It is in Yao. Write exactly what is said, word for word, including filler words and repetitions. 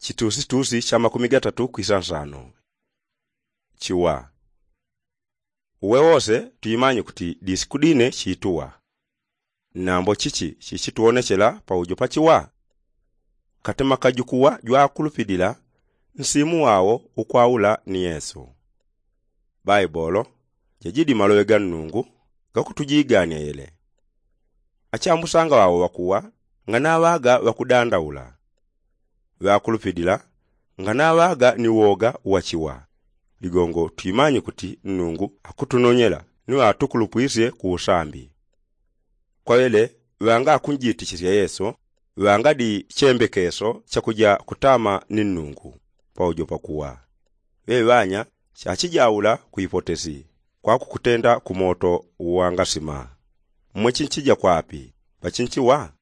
Chitusitusi cha makumi gatatu kwisa nsano. Chiwa. Uwe wose tuimanye kuti disiku dine chituwa. Nambo chichi chichituwonechela paujo pa chiwa? Katima kajukuwa jwakulupilila nsimu wawo ukwaula ni yesu. Baibolo jajidi maloŵe ga nnungu gakutujigania yele. Achambusanga wawo ŵakuwa nganaŵaga ŵakudandaula. Ŵakulupilila nganaŵaga ni woga wa chiwa. Ligongo twimanye kuti nnungu akutunonyela ni ŵatukulupwisye ku usambi. Kwaŵele ŵanga akunjitichisya yesu ŵangadi chembekeso chakuja kutama ni nnungu paujo pakuwa. Ŵeŵanya chachijaula ku ipotesi kwa kukutenda ku moto wangasima. Mmwe chinchija kwapi? Pachinchiwa?